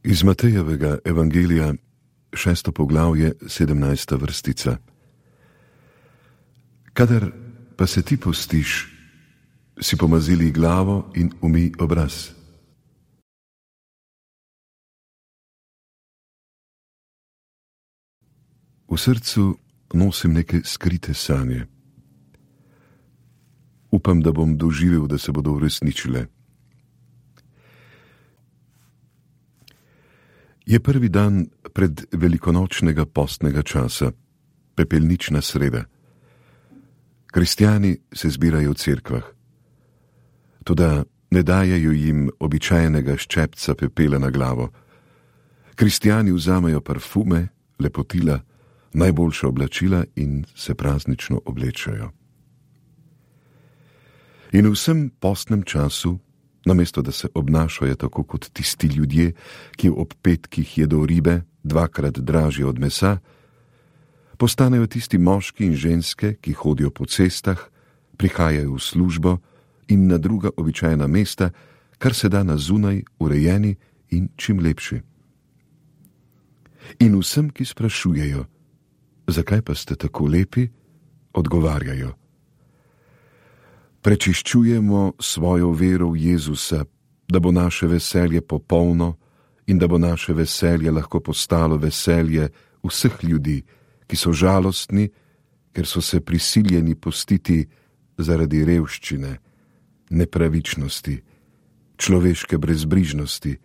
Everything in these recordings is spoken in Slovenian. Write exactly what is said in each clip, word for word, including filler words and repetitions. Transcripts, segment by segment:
Iz Matejevega evangelija, šesto poglavje, sedemnajsta vrstica. Kadar pa se ti postiš, si pomazili glavo in umij obraz. V srcu nosim neke skrite sanje. Upam, da bom doživel, da se bodo uresničile. Je prvi dan pred velikonočnega postnega časa, pepelnična sreda. Kristjani se zbirajo v cerkvah. Toda ne dajejo jim običajnega ščepca pepela na glavo. Kristjani vzamejo parfume, lepotila, najboljša oblačila in se praznično oblečajo. In v vsem postnem času, namesto da se obnašajo tako kot tisti ljudje, ki ob petkih jedo ribe, dvakrat dražje od mesa, postanejo tisti moški in ženske, ki hodijo po cestah, prihajajo v službo in na druga običajna mesta, kar se da na zunaj, urejeni in čim lepši. In vsem, ki sprašujejo, zakaj pa ste tako lepi, odgovarjajo: prečiščujemo svojo vero v Jezusa, da bo naše veselje popolno in da bo naše veselje lahko postalo veselje vseh ljudi, ki so žalostni, ker so se prisiljeni postiti zaradi revščine, nepravičnosti, človeške brezbrižnosti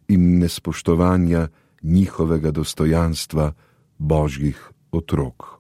in nespoštovanja njihovega dostojanstva Božjih otrok.